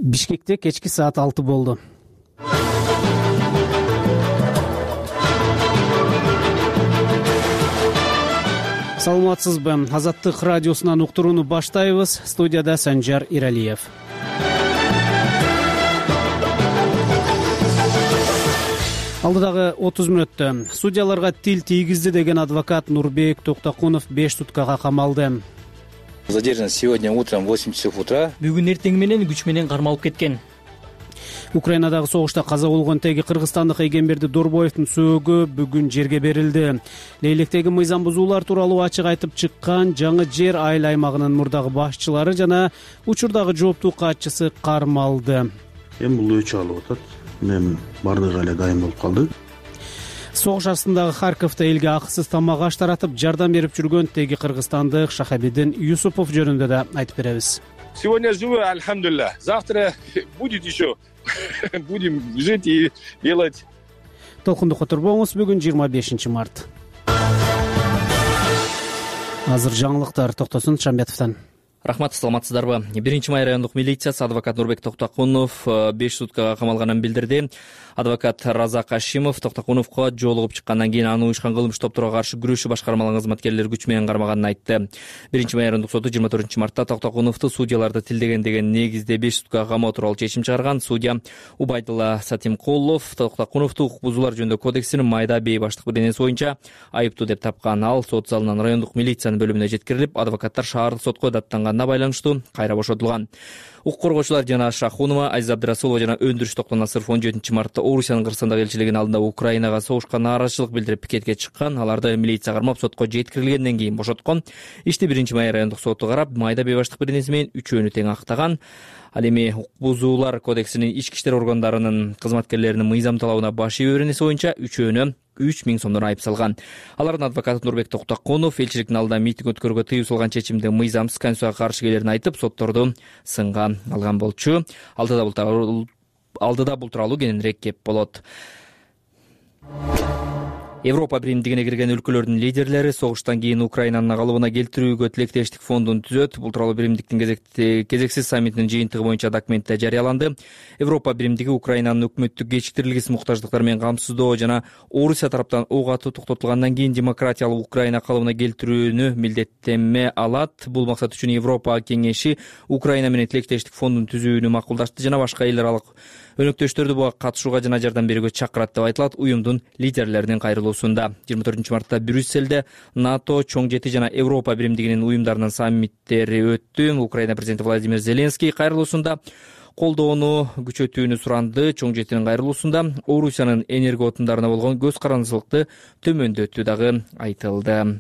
Бишкекте кечки саат 6 болду. Саламатсызбы? Азаттык радиосунан уктурууну баштайбыз. Студияда Санжар Иралиев. Алдыдагы 30 мүнөттө судьяларга тил тийгизди деген адвокат Нурбек Токтокунов 5 суткага камалды. Задержан сегодня утром в 8 часов утра. Бүгүн эртең менен күч менен кармалып кеткен. Украинадагы согушта каза болгон теги кыргызстандык Эгемберди Дорбоевдун сөөгү бүгүн жерге берилди. Лейлектеги мыйзам бузуулар тууралуу ачык айтып чыккан Жаңы Жер айыл аймагынын мурдагы башчылары жана учурдагы жооптуу катчысы кармалды. Эми бул өчү алып атат. Мен бардыгы эле дайым болуп калды. Согуш астындагы Харьковдо элге акысыз тамак аш таратып жардам берип жүргөн теги кыргызстандык Шахабидин Юсупов жөнүндө да айтып беребиз. Сегодня живы, альхамдулилля. Завтра будет еще. Будем жить и делать. Толкундукка турбоңуз. Бүгүн 25 март. Азыр жаңылыктар Токтосун Шамбетовдон. Рахмат, саламатсыздарбы? 1-май райондук милициясы адвокат Нурбек Токтокунов 5 суткага камалганын билдирди. Адвокат Разак Ашимов Токтокуновго жолугуп чыккандан кийин аны уюшкан кылмыш топторго каршы күрөшүү башкармалыгынын кызматкерлери күч менен кармаганын айтты. 1-май райондук соту 24-мартта Токтокуновду судьяларды тилдеген деген негизде 5 суткага камоо тууралуу чечим чыгарган. Судья Убайдулла Сатимкулов Токтокуновду укук бузуулар жөнүндө кодексинин майда бейбаштык беренеси боюнча айыптуу деп тапкан. Ал сот залынан райондук милициянын бөлүмүнө жеткирилип, адвокаттар шаардык сотко даттанганына байланыштуу кайра бошотулган. Укук коргоочулар Жана Шахунова, Азиза Абдырасулова жана Өндүрүш Токтонасыров 17-мартта Орусиянын Кыргызстандагы элчилигинин алдында Украинага согушка нааразычылык билдирип пикетке чыккан. Аларды милиция кармап сотко жеткирилгенден кийин бошоткон. Ишти 1-май райондук соту карап, майда бейбаштык беренеси менен үчөөнү тең актаган. Ал эми укук бузуулар кодексинин ички иштер органдарынын кызматкерлеринин мыйзам талабына баш ийүү беренеси боюнча үчөөнү 3000 сомдон айып салган. Алардын адвокаты Нурбек Токтокунов элчиликтин алдында митинг өткөрүүгө тыюу салган чечимди мыйзамсыз, конституцияга каршы келерин айтып, сотторду сынга алган болчу. Алдыда бул тууралуу кененирээк кеп болот. Европа биримдигине кирген өлкөлөрдүн лидерлери согуштан кийин Украинанын калыбына келтирүүгө тилектештик фондун түзөт. Бул тууралуу биримдиктин кезексиз саммитинин жыйынтыгы боюнча документте жарыяланды. Европа биримдиги Украинанын өкмөттүк кечиктирилгис муктаждыктары менен камсыздоо жана Орусия тараптан ок атуу токтотулгандан кийин демократиялык Украина калыбына келтирүүнү милдеттенме алат. Бул максат үчүн Европа кеңеши Украина менен тилектештик фондун түзүүнү макулдашты жана башка эл аралык өнөктөштөрдү буга катышууга жана жардам берүүгө чакырат деп айтылат уюмдун лидерлеринин кайрылуусунда. 24-мартта Брюсселде НАТО, Чоң жети жана Европа биримдигинин уюмдарынын саммиттери өттү. Украина президенти Владимир Зеленский кайрылуусунда колдоону күчөтүүнү суранды. Чоң жетинин кайрылуусунда Орусиянын энергия отундарына болгон көз карандычылыкты төмөндөтүү дагы айтылды.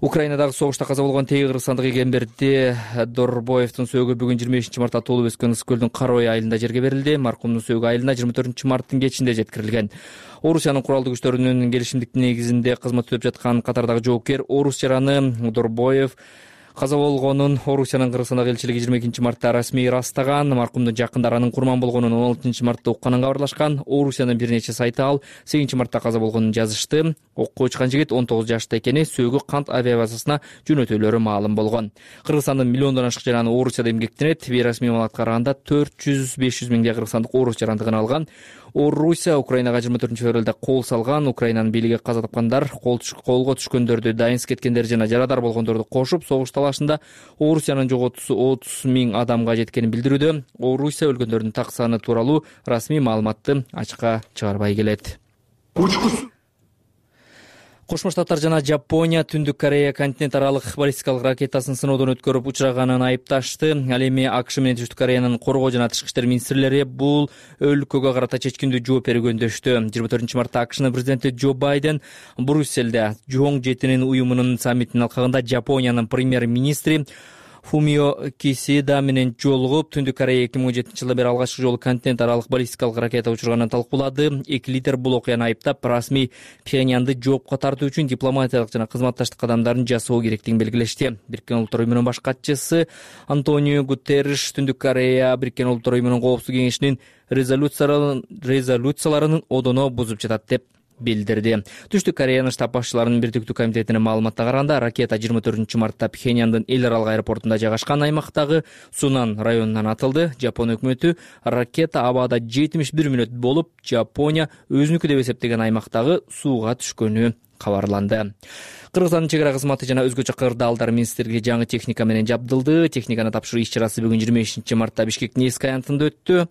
Украинадагы согушта каза болгон теги кыргызстандык Эгемберди Дорбоевдун сөөгү бүгүн 25-мартта туулуп өскөн Ысык көлдүн Карой айылында жерге берилди. Маркумдун сөөгү айылына 24-марттын кечинде жеткирилген. Орусиянын куралдуу күчтөрүнүн келишимдиктин негизинде кызмат өтөп жаткан катардагы жоопкер орус жараны Дорбоев каза болгонун Орусиянын Кыргызстандагы элчилиги 22-мартта расмий ырастаган. Маркумдун жакындары анын курман болгонун 16-мартта укканын кабарлашкан. Орусиянын бир нече сайты ал 8-мартта каза болгонун жазышты. Окко учкан жигит 19 жашта экени, сөөгү Кант авиабазасына жөнөтүүлөрү маалым болгон. Кыргызстандын миллиондон ашык жараны Орусияда эмгектенет. Бейрасмий маалыматка караганда 400-500 миңдей кыргызстандык орус жарандыгын алган. Орусия Украинага 24-февралда кол салган. Украинанын бийлиги каза тапкандар, колго түшкөндөрдү, дайынсыз кеткендер жана жарадар болгондорду кошуп, согуш талашында Орусиянын жоготуусу 30 миң адамга жеткенин билдирүүдө. Орусия өлгөндөрдүн так саны тууралуу расмий маалыматты ачыкка чыгарбай келет. Кошмо Штаттар жана Жапония Түндүк Корея континент аралык баллистикалык ракетасын сыноодон өткөрүп учураганын айыпташты. Ал эми АКШ менен Түштүк Кореянын коргоо жана тышкы иштер министрлери бул өлкөгө карата чечкиндүү жооп берүүгө өндөштү. 24-мартта АКШнын президенти Джо Байден Брюсселде Чоң жетинин уюмунун саммитинин алкагында Жапониянын премьер-министри Фумио Кисида менен жолугуп, Түндүк Корея 2017 жылдан бери алгачкы жолу континент аралык баллистикалык ракета учурганын талкуулады. Эки лидер бул окуяны айыптап, расмий Пхеньянды жоопко тартуу үчүн дипломатиялык жана кызматташтык кадамдарын жасоо керектигин белгилешти. Бириккен Улуттар уюмунун баш катчысы Антонио Гутерриш Түндүк Корея Бириккен Улуттар уюмунун коопсуздук кеңешинин резолюцияларын одоно бузуп жатат деп билдирди. Түштүк Кореянын штаб башчыларынын бирдиктүү комитетинин маалыматына караганда, ракета 24-мартта Пхеньяндын эл аралык аэропортунда жайгашкан аймактагы Сунан районунан атылды. Жапон өкмөтү ракета абада 71 мүнөт болуп, Жапония өзүнүкү деп эсептеген аймактагы сууга түшкөнү кабарланды. Кыргызстандын чек ара кызматы жана өзгөчө кырдаалдар министрлиги жаңы техника менен жабдылды. Техниканы тапшыруу иш-чарасы бүгүн 25-мартта Бишкектин эски аянтында өттү.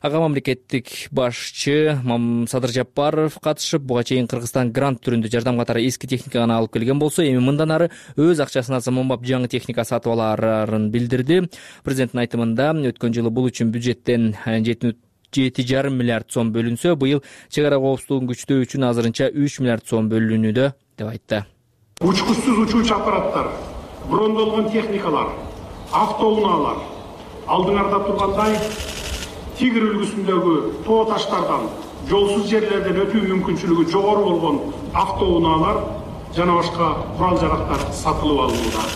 Ага мамлекеттик башчы Садыр Жапаров катышып, буга чейин Кыргызстан грант түрүндө жардам катары эски техниканы алып келген болсо, эми мындан ары өз акчасына заманбап жаңы техника сатып аларын билдирди. Президенттин айтымында өткөн жылы бул үчүн бюджеттен 7,5 миллиард сом бөлүнсө, быйыл чек ара коопсуздугун күчтөө үчүн азырынча 3 миллиард сом бөлүнүүдө деп айтты. Учкучсуз учуучу аппараттар, брондолгон техникалар, автоунаалар алдыңарда тургандай Тигр үлгүсүндөгү тоо таштардан, жолсуз жерлерден өтүү мүмкүнчүлүгү жогору болгон автоунаалар жана башка курал-жарактар сатылып алынууда.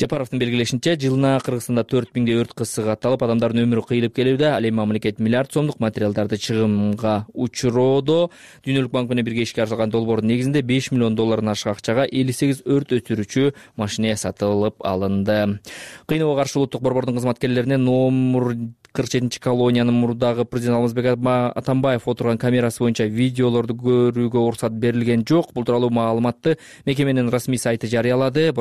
Жапаровдун белгилешинче, жылына Кыргызстанда 4000 өрт кызыгы катталып, адамдардын өмүрү кыйылып келүүдө. Ал эми мамлекет миллиард сомдук материалдарды чыгымга учуроодо. Дүйнөлүк банк менен бирге ишке ашырылган долбоордун негизинде 5 миллион доллардан ашык акчага 58 өрт өчүрүүчү машина сатылып алынды. Кыйноого каршы улуттук борбордун кызматкерлерине номер 47-колониянын мурдагы президент Алмазбек Атамбаев отурган камерасы боюнча видеолорду көрүүгө уруксат берилген жок. Бул тууралуу маалыматты мекеменин расмий сайты жарыялады.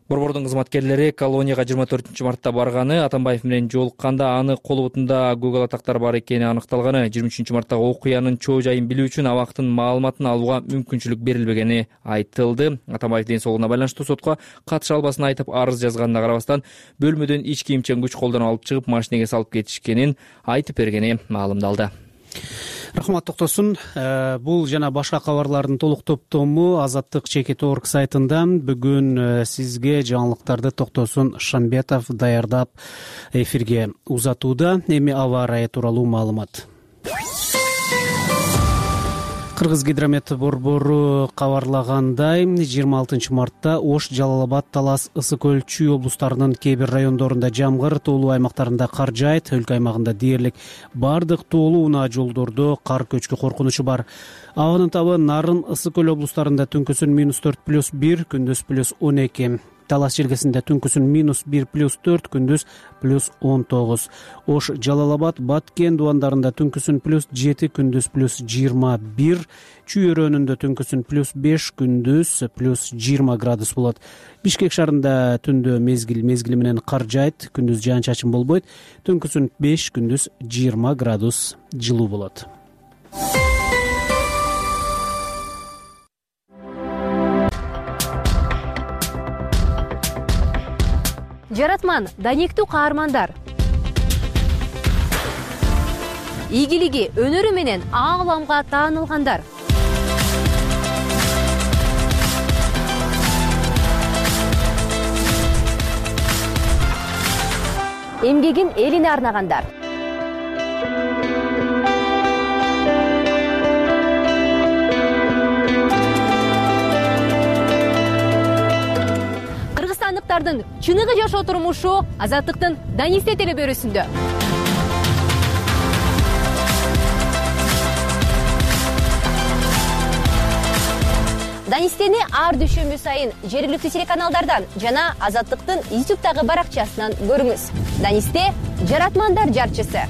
Борбордун кызматкерлери колонияга 24-мартта барганы, Атамбаев менен жолукканда аны колубутунда Google атактар бар экени аныкталганы, 23-марттагы окуянын чоо жайын билүү үчүн абактын маалыматын алууга мүмкүнчүлүк берилбегени айтылды. Атамбаев ден соолугуна байланыштуу сотко катыша албасын айтып арыз жазганына карабастан, бөлмөдөн ич кийимчен күч колдонуп алып чыгып машинеге салып кетишкенин айтып бергени маалымдалды. Рахмат Токтосун. Бул жана башка кабарлардын толук топтому Азаттык Чекит.org сайтында. Бүгүн сизге жаңылыктарды Токтосун Шамбетов даярдап эфирге узатууда. Эми аба ырайы тууралуу маалымат. Кыргызгидромет борбору кабарлагандай, 26-мартта Ош, Жалал-Абад, Талас, Ысык-Көл, Чүй облустарынын кээ бир райондорунда жамгыр, тоолуу аймактарында кар жаайт. Өлкө аймагында дээрлик бардык тоолуу унаа жолдордо кар көчкү коркунучу бар. Абанын табы Нарын, Ысык-Көл облустарында түнкүсүн -4+1, күндүз +12. Талас жергесинде түнкүсүн -1+4, күндүз +19. Ош, Жалал-Абад, Баткен дубандарында түнкүсүн +7, күндүз +21. Чүй өрөөнүндө түнкүсүн +5, күндүз +20 градус болот. Бишкек шаарында түндө мезгили менен кар жаайт, күндүз жаан-чачын болбойт. Түнкүсүн 5, күндүз 20 градус жылуу болот. Жаратман, даниктүү каармандар. Ийгилиги, өнөрү менен ааламга таанылгандар. Эмгегин элине арнагандар. Кыргызстандыктардын чыныгы жашоо турмушу Азаттыктын Данисте телебөрүсүндө. Данистени ар дүйшөмбү сайын жергиликтүү телеканалдардан жана Азаттыктын YouTube'дагы баракчасынан көрүңүз. Данисте — жаратмандар жарчысы.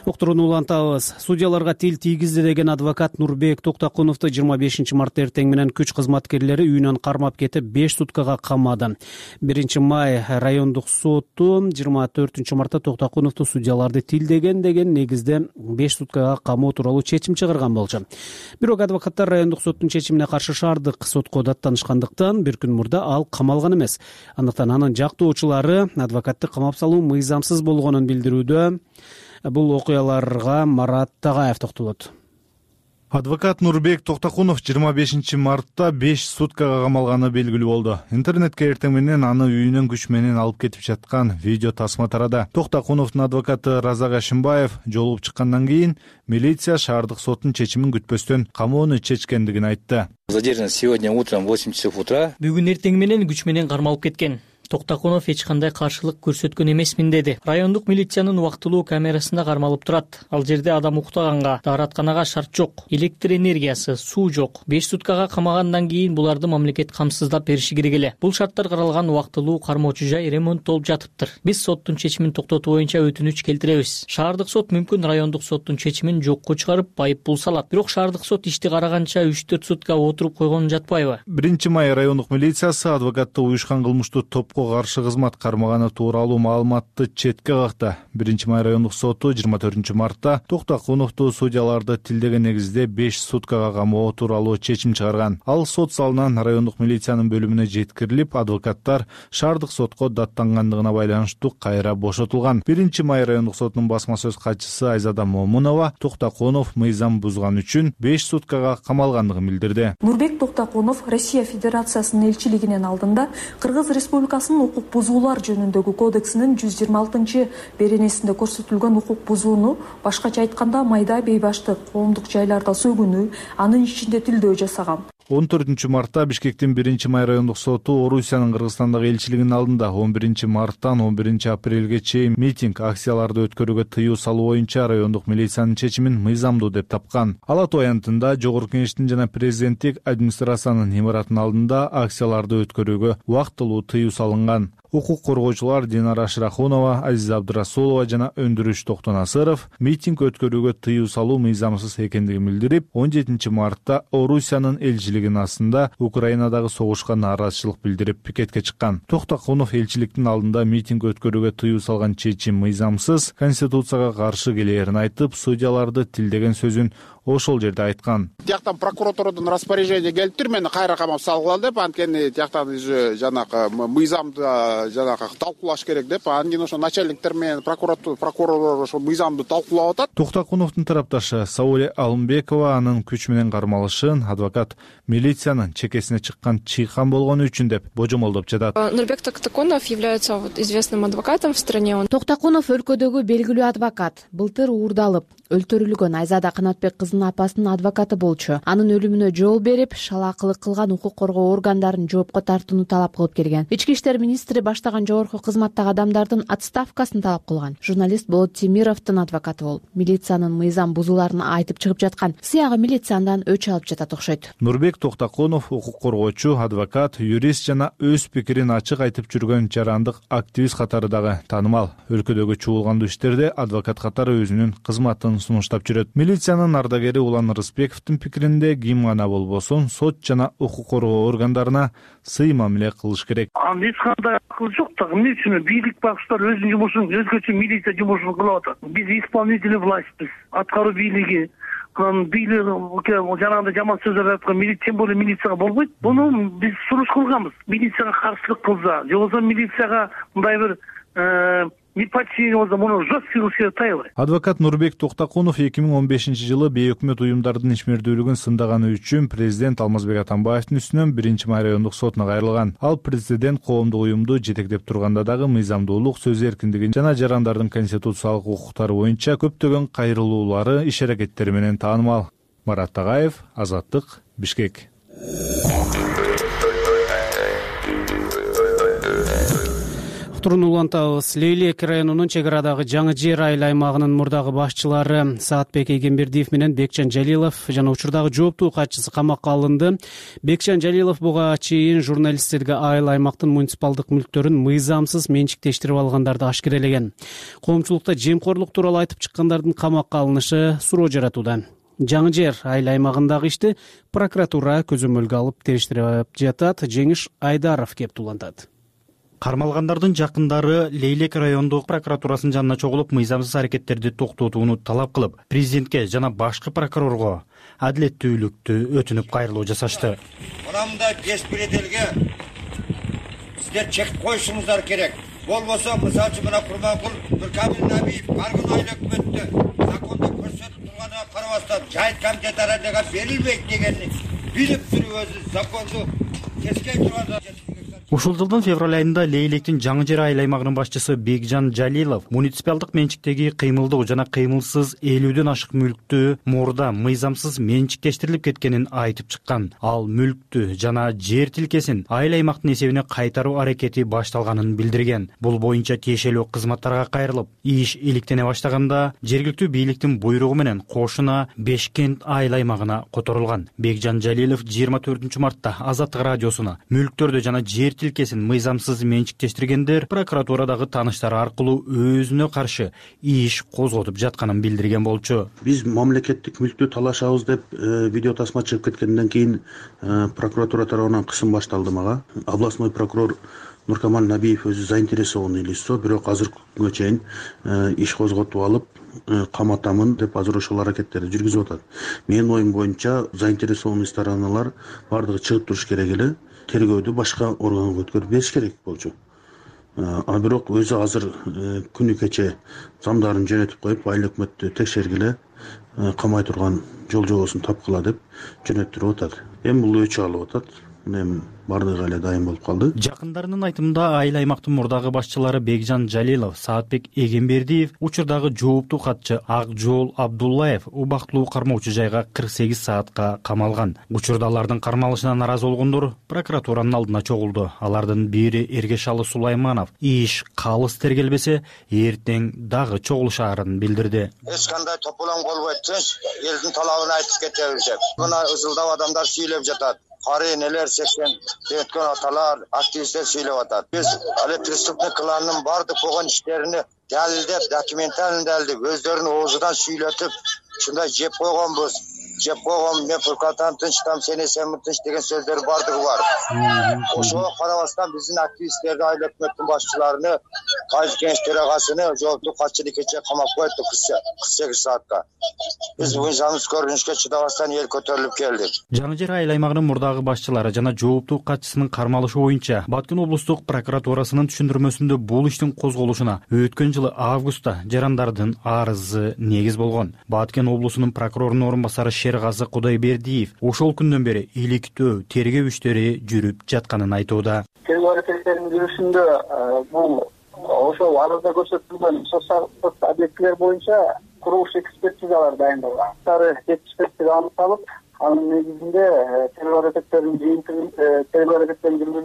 Уктурууну улантабыз. Судьяларга тил тийгизди деген адвокат Нурбек Токтокуновду 25-мартта эртең менен күч кызматкерлери үйүнөн кармап кетип 5 суткага камады. 1-май райондук соту 24-мартта Токтокуновду судьяларды тилдеген деген негизде 5 суткага камоо тууралуу чечим чыгарган болчу. Бирок адвокаттар райондук соттун чечимине каршы шаардык сотко даттанышкандыктан бир күн мурда ал камалган эмес. Андыктан анын жактоочулары адвокатты камап салуу мыйзамсыз болгонун билдирүүдө. Бул окуяларга Марат Тагаев токтолот. Адвокат Нурбек Токтокунов 25-мартта 5 суткага камалганы белгилүү болду. Интернетке эртең менен аны үйүнөн күч менен алып кетип жаткан видео тасма тарады. Токтокуновдун адвокаты Разак Ашимбаев жолугуп чыккандан кийин милиция шаардык соттун чечимин күтпөстөн камоону чечкендигин айтты. Задержан сегодня утром в 8 часов утра. Бүгүн эртең менен күч менен кармалып кеткен. Токтокунов эч кандай каршылык көрсөткөн эмесмин деди. Райондук милициянын убактылуу камерасында кармалып турат. Ал жерде адам уктаганга, дааратканага шарт жок, электр энергиясы, суу жок. 5 суткага камагандан кийин буларды мамлекет камсыздап бериши керек эле. Бул шарттар каралган убактылуу кармоочу жай ремонттолуп жатыптыр. Биз соттун чечимин токтотуу боюнча өтүнүч келтиребиз. Шаардык сот мүмкүн райондук соттун чечимин жокко чыгарып айып пул салат. Бирок шаардык сот ишти караганча 3-4 сутка отуруп койгон жатпайбы? 1-май райондук милициясы адвокатты уюшкан кылмыштуу топко каршы кызмат кармаганы тууралуу маалыматты четке какты. 1-май райондук соту 24-мартта Токтокуновду судьяларды тилдеген негизде 5 суткага камоо тууралуу чечим чыгарган. Ал сот залынан райондук милициянын бөлүмүнө жеткирилип, адвокаттар шаардык сотко даттангандыгына байланыштуу кайра бошотулган. 1-май райондук сотунун басма сөз катчысы Айзада Момунова Токтокунов мыйзам бузган үчүн 5 суткага камалгандыгын билдирди. Нурбек Токтокунов Россия Федерациясынын элчилигинин алдында Кыргыз Республикасынын укук бузуулар жөнүндөгү кодексинин 126 беренесинде көрсөтүлгөн укук бузууну, башкача айтканда майда бейбаштык, коомдук жайларда сөгүнүү, анын ичинде тилдөө жасаган. 14-мартта Бишкектин 1-май райондук соту Орусиянын Кыргызстандагы элчилигинин алдында 11-марттан 11-апрелге чейин митинг, акцияларды өткөрүүгө тыюу салуу боюнча райондук милициянын чечимин мыйзамдуу деп тапкан. Ала Тоо аянтында Жогорку Кеңештин жана президенттик администрациянын имаратынын алдында акцияларды өткөрүүгө убактылуу тыюу салынган. Укук коргоочулар Динара Шырахунова, Азиза Абдырасулова жана Өндүрүш Токтонасыров митинг өткөрүүгө тыюу салуу мыйзамсыз экендигин билдирип, 17-мартта Орусиянын элчилигинин астында Украинадагы согушка нааразычылык билдирип пикетке чыккан. Токтокунов элчиликтин алдында митинг өткөрүүгө тыюу салган чечим мыйзамсыз, конституцияга каршы келээрин айтып, судьяларды тилдеген сөзүн ошол жерде айткан. Тияктан прокуратурадан распоряжение келиптир, мени кайра камап салгыла деп, анткени тияктан жанакы мыйзамды жанакы талкуулаш керек деп, анткени ошо начальниктер менен прокурор ошо мыйзамды талкуулап атат. Токтокуновдун тарапташы Сауле Алымбекова анын күч менен кармалышын адвокат милициянын чекесине чыккан чыйкан болгону үчүн деп божомолдоп жатат. Нурбек Токтокунов является известным адвокатом в стране. Токтокунов өлкөдөгү белгилүү адвокат. Былтыр уурдалып өлтүрүлгөн Айзада Канатбек кызынын апасынын адвокаты болчу. Анын өлүмүнө жол берип, шалаакылык кылган укук коргоо органдарын жоопко тартууну талап кылып келген. Ички иштер министри баштаган жогорку кызматтагы адамдардын отставкасын талап кылган. Журналист Болот Темировдун адвокаты болуп, милициянын мыйзам бузууларын айтып чыгып жаткан. Сыягы милицияндан өч алып жатат окшойт. Нурбек Токтокунов укук коргоочу, адвокат, юрист жана өз пикирин ачык айтып жүргөн жарандык активист катары дагы таанымал. Өлкөдөгү чуулгандуу иштерде адвокат катары өзүнүн кызматын сунуштап жүрөт. Милициянын ардагери Улан Рысбековдун пикиринде ким гана болбосун сот жана укук коргоо органдарына сый мамиле кылыш керек. Эч кандай акыл жок да, эмне үчүн бийлик багыштар өзүнүн жумушун, өзгөчө милиция жумушун кылып атат. Биз исполнительный властьбиз, аткаруу бийлиги. Жанагындай жаман сөздөр айткан милиция, тем более милицияга болбойт. Буну биз суруш кылганбыз. Милицияга каршылык кылса, же болбосо милицияга мындай бир неподчинение болсо, муну жесткий кылышка таябайт. Адвокат Нурбек Токтокунов 2015-жылы бейөкмөт уюмдардын ишмердүүлүгүн сындаганы үчүн президент Алмазбек Атамбаевдин үстүнөн 1-май райондук сотуна кайрылган. Ал президент коомдук уюмду жетектеп турганда дагы мыйзамдуулук, сөз эркиндигин жана жарандардын конституциялык укуктары боюнча көптөгөн кайрылуулары, иш-аракеттери менен таанымал. Марат Тагаев, Азаттык, Бишкек. Улантабыз. Лейлек районунун чек арадагы Жаңы Жер айыл аймагынын мурдагы башчылары Саатбек Эйгенбердиев менен Бекчан Жалилов жана учурдагы жооптуу катчысы камакка алынды. Бекчан Жалилов буга чейин журналисттерге айыл аймактын муниципалдык мүлктөрүн мыйзамсыз менчиктештирип алгандарды ашкерелеген. Коомчулукта жемкорлук тууралуу айтып чыккандардын камакка алынышы суроо жаратууда. Жаңы Жер айыл аймагындагы ишти прокуратура көзөмөлгө алып териштирип жатат. Жеңиш Айдаров кеп улантат. Кармалгандардын жакындары Лейлек райондук прокуратурасынын жанына чогулуп, мыйзамсыз аракеттерди токтотууну талап кылып, президентке жана башкы прокурорго адилеттүүлүктү өтүнүп кайрылуу жасашты. Мындай беспределге сиздер чек коюшуңуздар керек. Болбосо, мисалы үчүн мына Курманкул Нуркамил Набиев бар күн айыл өкмөттө закондо көрсөтүп турганына карабастан жайыт комитет аралыга берилбейт дегенди билип туруп өзү законду тескей турганда Ушул жылдын февраль айында Лейлектин Жаңы Жер айыл аймагынын башчысы Бекжан Жалилов муниципалдык менчиктеги кыймылдуу жана кыймылсыз 50дөн ашык мүлктү мурда мыйзамсыз менчиктештирилип кеткенин айтып чыккан. Ал мүлктү жана жер тилкесин айыл аймактын эсебине кайтаруу аракети башталганын билдирген. Бул боюнча тиешелүү кызматтарга кайрылып, иш иликтене баштаганда жергиликтүү бийликтин буйругу менен кошуна Бешкент айыл аймагына которулган. Бекжан Жалилов 24 мартта Азаттык радиосуна мүлктөрдү жана жер тилкесин мыйзамсыз менчиктештиргендер прокуратурадагы тааныштары аркылуу өзүнө каршы иш козготуп жатканын билдирген болчу. Биз мамлекеттик мүлктү талашабыз деп видео тасма чыгып кеткенден кийин прокуратура тарабынан кысым башталды мага. Областной прокурор Нуркамаль Набиев өзү заинтересованный лицо, бирок азыркы күнгө чейин иш козготуп алып каматамын деп азыр ошол аракеттерди жүргүзүп атат. Менин оюм боюнча заинтересованный стороналар бардыгы чыгып туруш керек эле, тергөөдү башка органга өткөрүп бериш керек болчу. А бирок өзү азыр күнү кече замдарын жөнөтүп коюп, айыл өкмөттү текшергиле, камай турган жол жобосун тапкыла деп жөнөттүрүп атат. Эми бул өчү алып атат. Эми бардыгы эле дайым болуп калды. Жакындарынын айтымында айыл аймактын мурдагы башчылары Бекжан Жалилов, Саатбек Эгембердиев, учурдагы жооптуу катчы Акжол Абдуллаев убактылуу кармоочу жайга 48 саатка камалган. Учурда алардын кармалышына наразы болгондор прокуратуранын алдына чогулду. Алардын бири Эргешалы Сулайманов иш калыс тергелбесе эртең дагы чогулушаарын билдирди. Эч кандай тополоң болбойт, элдин талабын айтып кетебиз деп. Мына ызылдап адамдар сүйлөп жатат. Кары энелер, 80 өткөн аталар, активисттер сүйлөп атат. Биз але преступный кланнын бардык болгон иштерини далилдеп, документально далилдеп, өздөрүнүн оозунан сүйлөтүп, ушундай жеп койгонбуз. Жеп койгон, мен прокуратурадан тынч, там сен эсенби тынч деген сөздөр бардыгы бар. Ошого карабастан биздин активисттерди, айыл өкмөттүн башчыларыны, кайсы кеңеш төрагасыны жооптуу катчыны кече камап коюпту 48 саатка. Биз мыйзамсыз көрүнүшкө чыдабастан эл көтөрүлүп келдик. Жаңы Жер айыл аймагынын мурдагы башчылары жана жооптуу катчысынын кармалышы боюнча Баткен облустук прокуратурасынын түшүндүрмөсүндө бул иштин козголушуна өткөн жылы августта жарандардын арызы негиз болгон. Баткен облусунун прокурорунун орун басары Шергазы Кудайбердиев ошол күндөн бери иликтөө тергөө иштери жүрүп жатканын айтууда. Тергөө аракеттеринин жүрүшүндө бул ошол арызда көрсөтүлгөн социалдык объектилер боюнча курулуш экспертизалар дайындалган. Экспертиза аныкталып, анын негизинде тергөө аракеттерин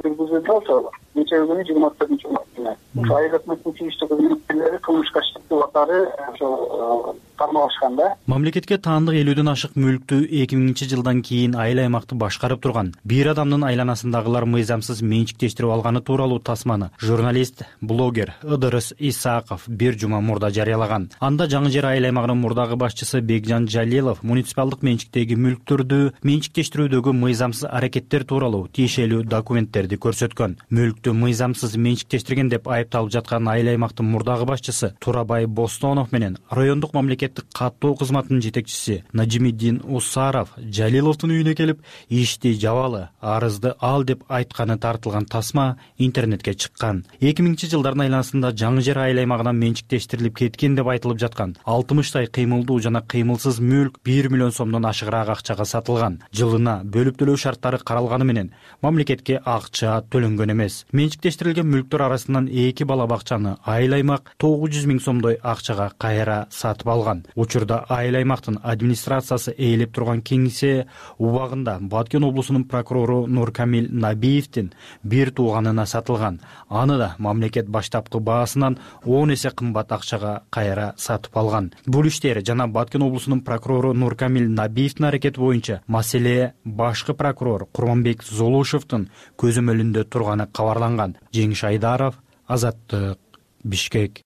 жүргүзүүдө ошол нече күнү 24 март. Ошол айыл өкмөттүн тийиштүү кызматкерлери кылмышка иштептүү катары ошол кармалышкан да. Мамлекетке таандык 50дөн ашык мүлктү 2000-жылдан кийин айыл аймакты башкарып турган бир адамдын айланасындагылар мыйзамсыз менчиктештирип алганы тууралуу тасманы журналист, блогер Ыдырыс Исаков бир жума мурда жарыялаган. Анда Жаңы Жер айыл аймагынын мурдагы башчысы Бекжан Жалилов муниципалдык менчиктеги мүлктөрдү менчиктештирүүдөгү мыйзамсыз аракеттер тууралуу тиешелүү документтерди көрсөткөн. Мүлктү мыйзамсыз менчиктештирген деп айыпталып жаткан айыл аймактын мурдагы башчысы Турабай Бостонов менен райондук мамлекеттик каттоо кызматынын жетекчиси Нажимиддин Усаров Жалиловдун үйүнө келип, ишти жабалы, арызды ал деп айтканы тартылган тасма интернетке чыккан. 2000-жылдардын айланасында Жаңы Жер айыл аймагынан менчиктештирилип кеткен деп айтылып жаткан 60 кыймылдуу жана кыймылсыз мүлк 1 миллион сомдон ашыгыраак акчага сатылган. Жылына бөлүп төлөө шарттары каралганы менен мамлекетке акча төлөнгөн эмес. Менчиктештирилген мүлктөр арасынан 2 бала бакчаны айыл аймак 900 000 сомдой акчага кайра сатып алган. Учурда айыл аймактын администрациясы ээлеп турган кеңсе убагында Баткен облусунун прокурору Нуркамиль Набиевдин бир тууганына сатылган. Аны да мамлекет баштапкы баасынан 10 эсе кымбат акчага кайра сатып алган. Бул иштер жана Баткен облусунун прокурору Нуркамиль Набиевдин аракети боюнча маселе башкы прокурор Курманбек Золушевдун көзөмөлүндө турганы кабарланган. Жеңиш Айдаров, Азаттык, Бишкек.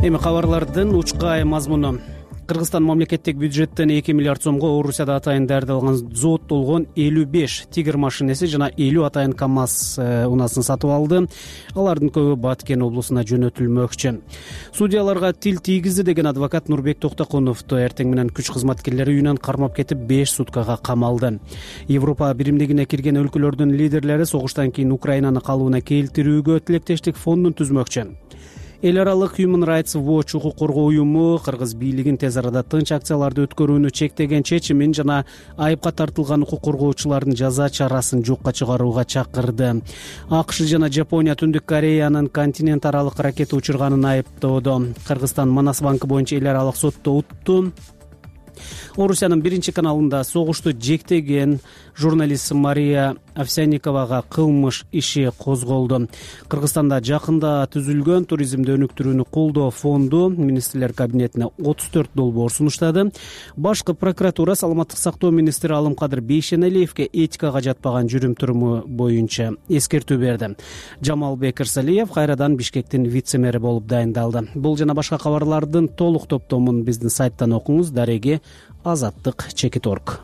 Эми кабарлардын учкай мазмуну. Кыргызстан мамлекеттик бюджеттен 2 миллиард сомго Орусияда атайын даярдалган зооттолгон 55 тигр машинеси жана 50 атайын КАМАЗ унасын сатып алды. Алардын көбү Баткен облусуна жөнөтүлмөкчү. Судьяларга тил тийгизди деген адвокат Нурбек Токтокуновду эртең менен күч кызматкерлери үйүнөн кармап кетип 5 суткага камалды. Европа биримдигине кирген өлкөлөрдүн лидерлери согуштан кийин Украинаны калыбына келтирүүгө тилектештик фондун түзмөкчү. Эл аралык Human Rights Watch укук коргоо уюму кыргыз бийлигин тез арада тынч акцияларды өткөрүүнү чектеген чечимин жана айыпка тартылган укук коргоочулардын жаза чарасын жокко чыгарууга чакырды. АКШ жана Жапония Түндүк Кореянын континент аралык ракета учурганын айыптоодо. Кыргызстан Манас банкы боюнча эл аралык сотто утту. Орусиянын биринчи каналында согушту жектеген журналист Мария Овсянниковага кылмыш иши козголду. Кыргызстанда жакында түзүлгөн туризмди өнүктүрүүнү колдоо фонду министрлер кабинетине 34 долбоор сунуштады. Башкы прокуратура саламаттык сактоо министри Алымкадыр Бейшеналиевге этикага жатпаган жүрүм-туруму боюнча эскертүү берди. Жамалбек Ирсалиев кайрадан Бишкектин вице-мэри болуп дайындалды. Бул жана башка кабарлардын толук топтомун биздин сайттан окуңуз. Дареги Азаттык Чекиторг.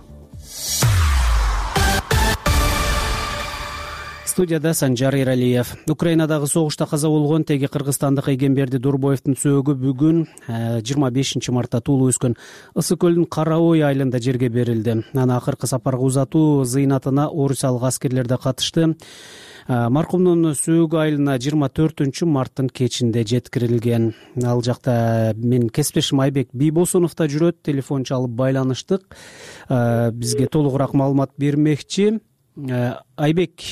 Студияда Санжар Иралиев. Украинадагы согушта каза болгон теги кыргызстандык Эгемберди Дурбоевдун сөөгү бүгүн 25 мартта туулуп өскөн Ысык көлдүн Кара Ой айылында жерге берилди. Аны акыркы сапарга узатуу зыйнатына орусиялык аскерлер да катышты. Маркумдун сөөгү айылына 24 марттын кечинде жеткирилген. Ал жакта менин кесиптешим Айбек Бийбосунов да жүрөт. Телефон чалып байланыштык. Бизге толугураак маалымат бермекчи. Айбек,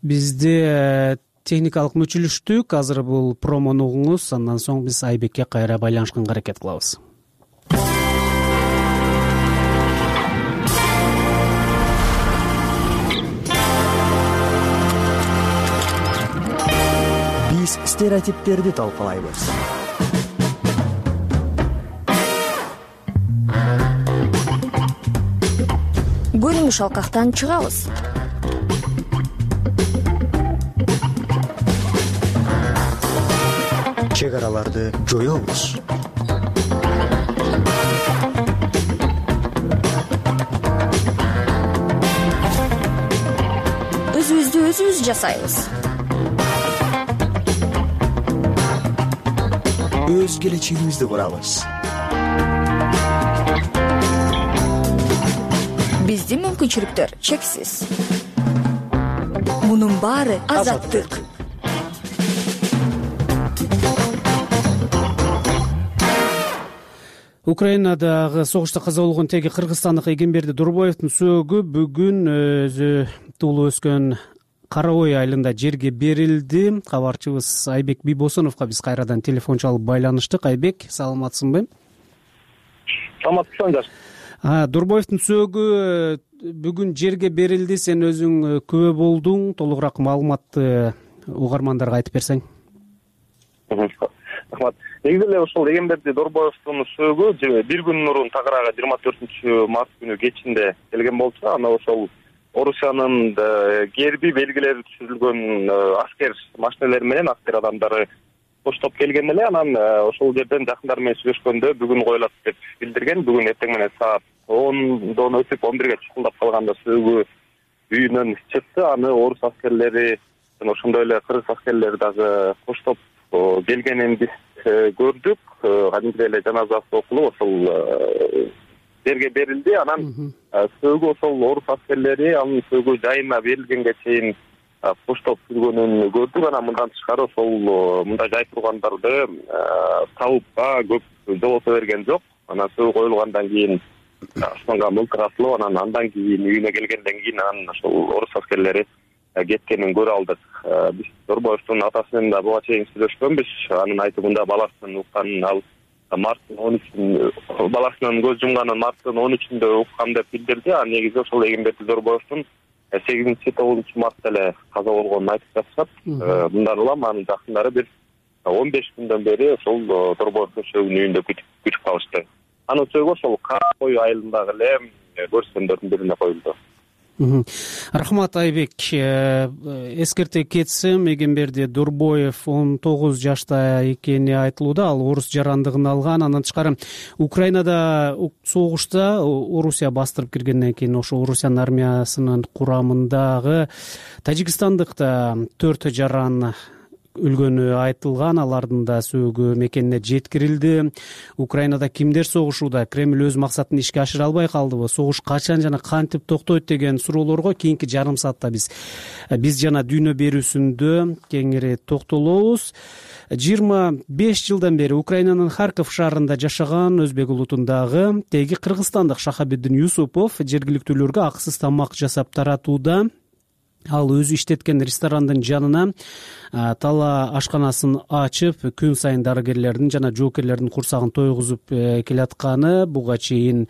бизде техникалык мүчүлүштүк. Азыр бул промону угуңуз, андан соң биз Айбекке кайра байланышканга аракет кылабыз. Биз стереотиптерди талкуулайбыз. Көрүнүш алкактан чыгабыз. Чек араларды жоёбуз. Өзүбүздү өзүбүз жасайбыз. Өз келечегибизди курабыз. Биздин мүмкүнчүлүктөр чексиз. Мунун баары азаттык. Украинадагы согушта каза болгон теги кыргызстандык Эгемберди Дурбоевдун сөөгү бүгүн өзү туулуп өскөн Кара Ой айылында жерге берилди. Кабарчыбыз Айбек Бийбосуновго биз кайрадан телефон чалып байланыштык. Айбек, саламатсыңбы? Саламатсың, Жаш. Дурбоевдун сөөгү бүгүн жерге берилди. Сен өзүң күбө болдуң. Толугураак маалыматты угармандарга айтып берсең. Рахмат. Негизи эле ошол Эгемберди Дурбоевдун сөөгү бир күн мурун тагыраагы 24 март күнү кечинде келген болчу. Аны ошол Орусиянын герби белгилери түзүлгөн аскер машинелери менен аскер адамдары коштоп келген эле. Анан ошол жерден жакындары менен сүйлөшкөндө бүгүн коюлат деп билдирген. Бүгүн эртең менен саат 10дон өтүп 11ге чукулдап калганда сөөгү үйүнөн чыкты. Аны орус аскерлери жана ошондой эле кыргыз аскерлери дагы коштоп келгенин биз көрдүк. Кадимкидей эле жаназасы окулуп ошол жерге берилди. Анан сөөгү ошол орус аскерлери анын сөөгү жайына берилгенге чейин коштоп жүргөнүн көрдүк. Анан мындан тышкары ошол мындай жай тургандарды табыпка көп жолото берген жок. Анан сөөгү коюлгандан кийин аспанга мылтык атылып, андан кийин үйүнө келгенден кийин анан ошол орус аскерлери кеткенин көрө алдык. Биз Дурбоевдун атасы менен да буга чейин сүйлөшкөнбүз. Анын айтымында баласынын укканын ал марттын 13 баласынын көз жумганын марттын 13-үндө уккан деп билдирди. Негизи ошол Эгемберди Дурбоевдун 8-9 мартта эле каза болгонун айтып жатышат. Мындан улам анын жакындары бир 15 күндөн бери ошол Дурбоевдун сөөгүн үйүндө күтүп калышты. Анын сөөгү ошол Кара Ой айылындагы эле көрсөндөрдүн бирине коюлду. Рахмат, Айбек. Эскерте кетсем, Эгемберди Дурбоев 19 жашта экени айтылууда. Ал орус жарандыгын алган. Андан тышкары Украинада согушта Орусия бастырып киргенден кийин ошо Орусиянын армиясынын курамындагы тажикстандык да 4 жаран өлгөнү айтылган, алардын да сөөгү мекенине жеткирилди. Украинада кимдер согушууда? Кремль өз максатын ишке ашыра албай калдыбы? Согуш качан жана кантип токтойт деген суроолорго кийинки жарым саатта биз жана дүйнө берүүсүндө кеңири токтолобуз. 25 жылдан бери Украинанын Харьков шаарында жашаган өзбек улутундагы теги кыргызстандык Шахабиддин Юсупов жергиликтүүлөргө акысыз тамак жасап таратууда. Ал өзү иштеткен ресторандын жанына тала ашканасын ачып, күн сайын дарыгерлердин жана жоокерлердин курсагын тойгузуп келатканы буга чейин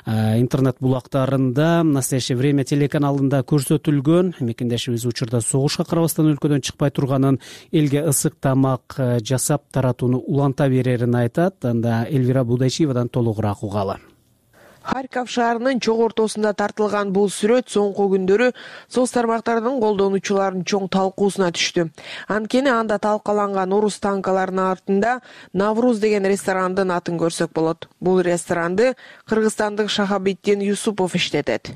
интернет булактарында «Настоящее время» телеканалында көрсөтүлгөн. Мекендешибиз учурда согушка карабастан өлкөдөн чыкпай турганын, элге ысык тамак жасап таратууну уланта берерин айтат. Анда Элвира Будайчиевадан толугураак угалы. Харьков шаарынын чоң ортосунда тартылган бул сүрөт соңку күндөрү соц тармактарынын колдонуучуларынын чоң талкуусуна түштү. Анткени анда талкаланган орус танкаларынын артында Навруз деген ресторандын атын көрсөк болот. Бул ресторанды кыргызстандык Шахабиддин Юсупов иштетет.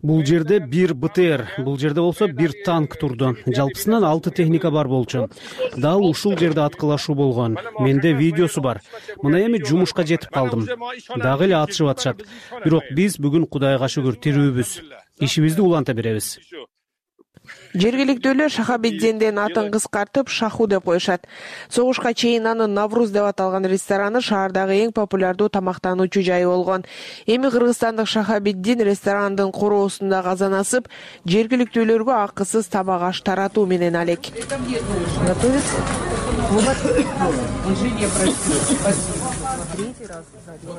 Бул жерде бир БТР, бул жерде болсо бир танк турду. Жалпысынан 6 техника бар болчу. Дал ушул жерде аткылашуу болгон. Менде видеосу бар. Мына эми жумушка жетип калдым. Дагы эле атышып атышат. Бирок биз бүгүн Кудайга шүгүр тирүүбүз. Ишибизди уланта беребиз. Жергиликтүүлөр Шахабиддиндин атын кыскартып Шаху деп коюшат. Согушка чейин анын Навруз деп аталган рестораны шаардагы эң популярдуу тамактануучу жай болгон. Эми кыргызстандык Шахабиддин ресторандын короосунда казан асып, жергиликтүүлөргө акысыз тамак аш таратуу менен алек.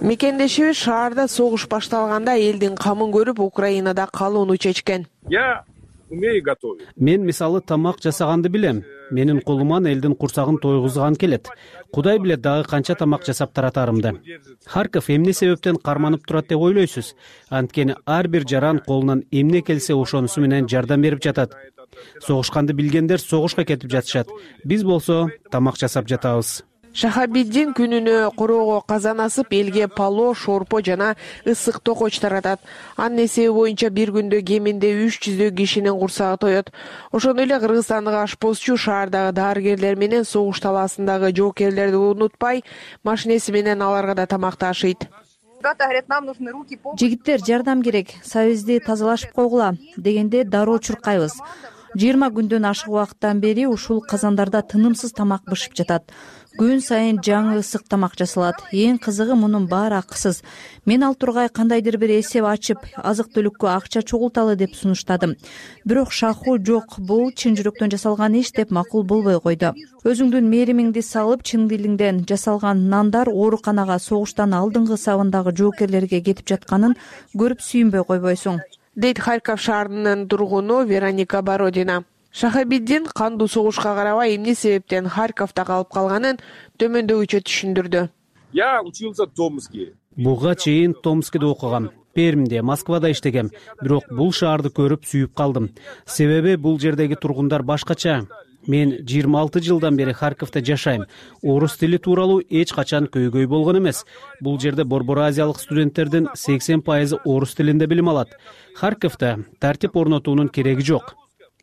Мекендешибиз шаарда согуш башталганда элдин камын көрүп, Украинада калууну чечкен. Я умею готовить. Мен мисалы тамак жасаганды билем. Менин колуман элдин курсагын тойгузган келет. Кудай билет дагы канча тамак жасап таратарымды. Харьков эмне себептен карманып турат деп ойлойсуз? Анткени ар бир жаран колунан эмне келсе ошонусу менен жардам берип жатат. Согушканды билгендер согушка кетип жатышат. Биз болсо тамак жасап жатабыз. Шахабиддин күнүнө короого казан асып, элге пало, шорпо жана ысык токоч таратат. Анын эсеби боюнча бир күндө кеминде 300 кишинин курсагы тоет. Ошондой эле кыргызстандык ашпозчу шаардагы дарыгерлер менен согуш талаасындагы жоокерлерди унутпай, машинеси менен аларга да тамак ташыйт. Жигиттер, жардам керек, сабизди тазалашып койгула дегенде дароо чуркайбыз. 20 күндөн ашык убакыттан бери ушул казандарда тынымсыз тамак бышып жатат. Күн сайын жаңы ысык тамак жасалат. Эң кызыгы мунун баары акысыз. Мен ал тургай кандайдыр бир эсеп ачып, азык-түлүккө акча чогулталы деп сунуштадым. Бирок Шаху жок, бул чын жүрөктөн жасалган иш деп макул болбой койду. Өзүңдүн мээримиңди салып, чын дилиңден жасалган нандар ооруканага согуштан алдыңкы сабындагы жоокерлерге кетип жатканын көрүп сүйүнбөй койбойсуң, дейт Харьков шаарынын тургуну Вероника Бородина. Шахабиддин кандуу согушка карабай эмне себептен Харьковдо калып калганын төмөндөгүчө түшүндүрдү. Я учился в Томске. Буга чейин Томскеде окугам. Пермде, Москвада иштегем. Бирок бул шаарды көрүп сүйүп калдым. Себеби бул жердеги тургундар башкача. Мен 26 жылдан бери Харьковдо жашайм. Орус тили тууралуу эч качан көйгөй болгон эмес. Бул жерде Борбор Азиялык студенттердин 80% орус тилинде билим алат. Харьковдо тартип орнотуунун кереги жок.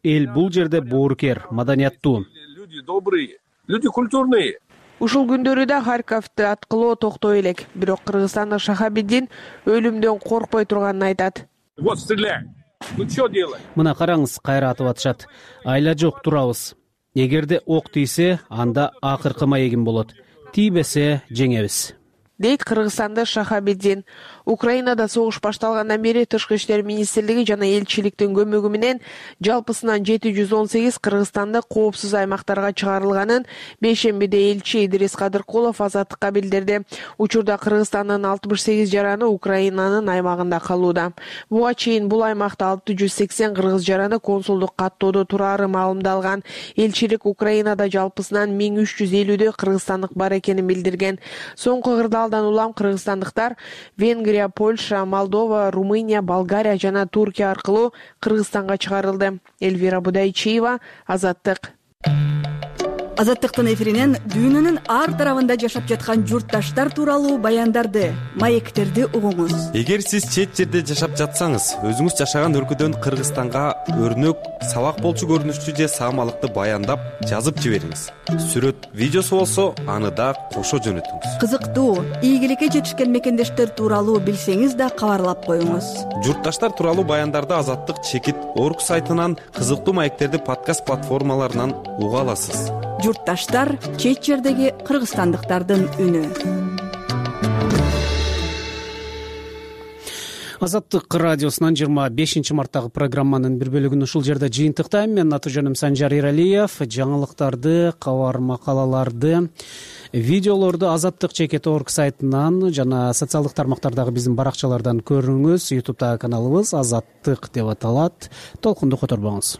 Эл бул жерде боорукер, маданияттуу. Люди добрые, люди культурные. Ушул күндөрү да Харьковду аткылоо токтой элек. Бирок кыргызстандык Шахабиддин өлүмдөн коркпой турганын айтат. Вот стреляй. Ну что делать? Мына караңыз, кайра атып атышат. Айла жок, турабыз. Эгерде ок тийсе, анда акыркы маегим болот. Тийбесе жеңебиз, дейт кыргызстандык Шахабиддин. Украинада согуш башталгандан бери Тышкы иштер министрлиги жана элчиликтин көмөгү менен жалпысынан 718 кыргызстандык коопсуз аймактарга чыгарылганын бейшембиде элчи Идрис Кадыркулов Азаттыкка билдирди. Учурда Кыргызстандын 68 жараны Украинанын аймагында калууда. Буга чейин бул аймакта 680 кыргыз жараны консулдук каттоодо турары маалымдалган. Элчилик Украинада жалпысынан 1350 кыргызстандык бар экенин билдирген. Соңку кырдаалдан улам кыргызстандыктар Венгрия, Польша, Молдова, Румыния, Болгария жана Туркия аркылуу Кыргызстанга чыгарылды. Элвира Будайчиева, Азаттык. Азаттыктын эфиринен дүйнөнүн ар тарабында жашап жаткан журтташтар тууралуу баяндарды, маектерди угуңуз. Эгер сиз чет жерде жашап жатсаңыз, өзүңүз жашаган өлкөдөн Кыргызстанга өрнөк, сабак болчу көрүнүштүү же саамалыкты баяндап жазып жибериңиз. Сүрөт, видеосу болсо, аны да кошо жөнөтүңүз. Кызыктуу, ийгиликке жетишкен мекендештер тууралуу билсеңиз да кабарлап коюңуз. Журтташтар тууралуу баяндарды Азаттык чекит орг сайтынан, кызыктуу маектерди подкаст платформаларынан уга аласыз. Журтташтар чет жердеги кыргызстандыктардын үнү. Азаттык радиосунан 25 марттагы программанын бир бөлүгүн ушул жерде жыйынтыктайм. Менин аты-жөнүм Санжар Иралиев. Жаңылыктарды, кабар макалаларды, видеолорду Азаттык чекит орг сайтынан жана социалдык тармактардагы биздин баракчалардан көрүңүз. YouTube'дагы каналыбыз Азаттык деп аталат. Толкунду которбоңуз.